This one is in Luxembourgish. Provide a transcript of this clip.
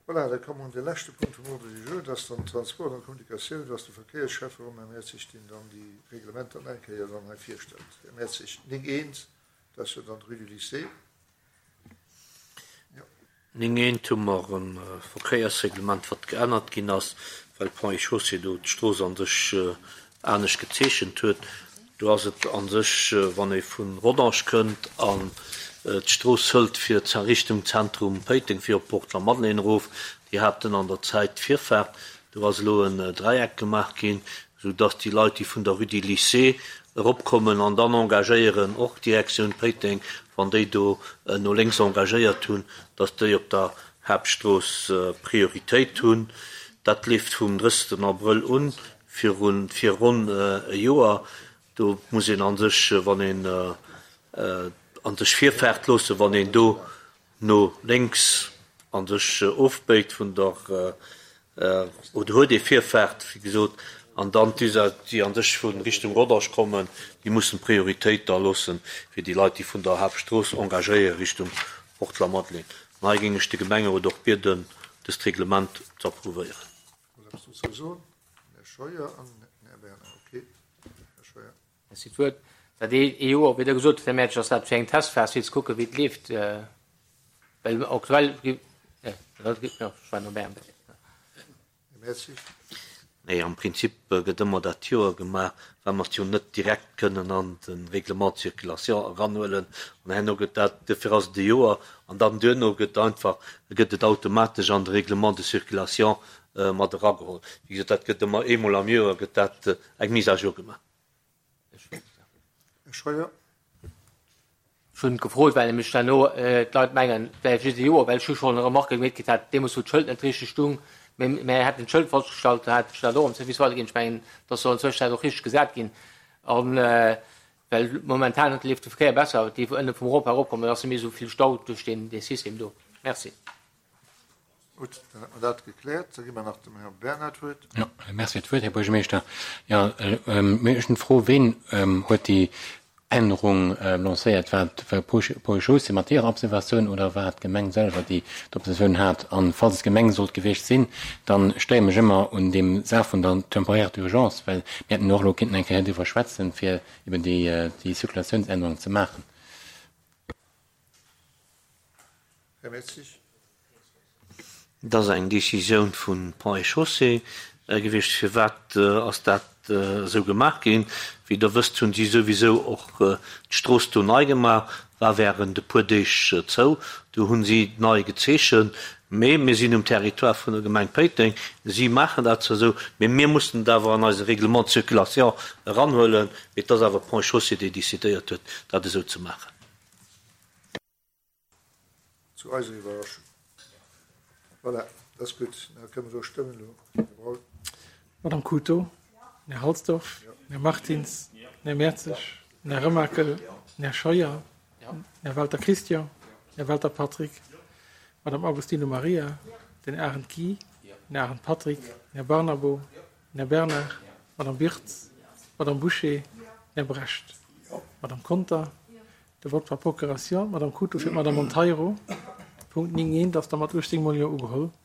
Voilà, da komme mer un de leschte Punkt vum Ordre du jour, dat ass dann Transport an Kommunikatioun, do ass de Verkéiersschäffer um Här Mertzig, deen dann déi Reglementer nach eng Kéier dann hei virstellt. Här Mertzig, 9 eent, dat ass jo dann d'Rue du Lycée. Jo. 9 eent hu mer e Verkéiersreglement, wat geännert ginn ass, well Ponts et Chaussées do d'Strooss an sech anescht gezeechent huet. Do ass et a sech, wann ee vu Rodange kënnt an d'Strooss hëlt fir Richtung Zentrum Péiteng fir op d'Port Lamadelaine erof, déi haten an der Zäit d'Virfaart. Do ass elo en Dräieck gemaach ginn, esou datt déi Leit, déi vun der Rue du Lycée eropkommen an dann engagéieren, och Direktioun Péiteng, wann déi do no lénks engagéiert hunn, datt déi op der Haaptstrooss Prioritéit hunn. Dat leeft vum 30 Abrëll un. Virun fir ronn e Joer, do muss een a sech, wann een a sech Virfaart loossen, wann een do no lénks a sech ofbéit vun der, oder huet ee Virfaart, wéi gesot, an dann d'Usager, déi a sech vu Richtung Rodange kommen, déi mussen d'Prioritéit da loossen fir déi Leit, déi vun der Haaptstrooss engagéiere Richtung Port Lamadelaine. An hei géing ech de Gemengerot och bieden, dëst Reglement ze approuvéieren. Wollt eppes dozou soen? Den Här Scheuer an den Här Bernard. Okay, Här Scheuer. Merci d'Wuert. Dat ee Joer, wéi Der gesot hutt, Här Mertsch, ass dat fir eng Testphas, fir ze kucken, wéi et leeft. Well aktuell gi, jo, ech war no bäi. Här Mertzig. Nee, am Prinzip gëtt ëmmer dat Joer gemaach, well mer et jo net direkt kënnen an de Règlement de circulation eranhuelen. An herno gëtt dat, duerfir ass et e Joer, an dann duerno gëtt einfach, gëtt et automatesch an de Règlement de circulation mat erageholl. Wéi gesot, dat gëtt ëmmer eemol am Joer gëtt dat eng Mise à jour gemaach. Här Scheuer. Ech hunn gefrot, well nämlech herno d'Leit mengen, et wär just e Joer, well ech hu schonn Remarquë gemeet kritt hat, deemools wou d'Schëld net richteg stung, mä mir hätten d'Schëld falsch gestallt, da hat ech dat och am Service weiderginn. Ech mengen, et ass jo an Zwëschenzäit och richteg gesat ginn. A well momentan leeft de Verkéier besser, déi wou ënne vum Rond-point eropkommen, da ass net méi esou vill Stau duerch deen System do. Merci. Gutt, dann hätte mer dat gekläert. Da gi mer nach dem Här Bernard d'Wuert. Jo, Merci fir d'Wuert, Här Buergermeeschter. Jo, mir ech hunn d'Fro, Ween huet déi Ännerung lancéiert? War et d'Ponts et Chaussées mat hirer Observatioun oder war et d'Gemeng selwer, déi d'Observatioun hat? An falls et d'Gemeng sollt gewiescht sinn, dann stéiere mech ëmmer un deem Saach vun der temporaire d'urgence, well mir hätten och elo kinnten eng Kéier driwwer schwätzen, fir eben déi Circulatiounsännerung ze maachen. Här Mertzig. Et ass eng Décisioun vu Ponts et Chaussées gewiescht. Firwat ass dat esou gemaach ginn? Wéi Der wësst, hunn si souwisou och d'Strooss do nei gemaach, war während e puer Deeg zou. Do hunn si nei gezeechent. Mee mir sinn um Territoire vun der Gemeng Péiteng. Si maachen dat zwar esou, mee mir mussen et awer an eise Règlement de circulation eranhuelen. Mee et ass awer Ponts et Chaussées, déi décidéiert huet, dat esou ze maachen. Zu eiser Iwwerraschung. Voilà, dat ass gutt. Da kënne mer do stëmmen elo, Här Braun. Madame Cooto, Här Halsdorf, Här Martins, Här Mertzig, Här Remakel, Här Scheuer, Här Welter Christian, Här Welter Patrick, Madame Agostino Maria, den Arendt Guy, den Arendt Patrick, Här Barnabo, Här Bernard, Madame Wirtz, Madame Bouché, Här Brecht, Madame Conter, De Vote par procuration, d'Madame Cooto fir d'Madame Monteiro. Punkt 9 eent ass da mat 18 mol Jo ugeholl.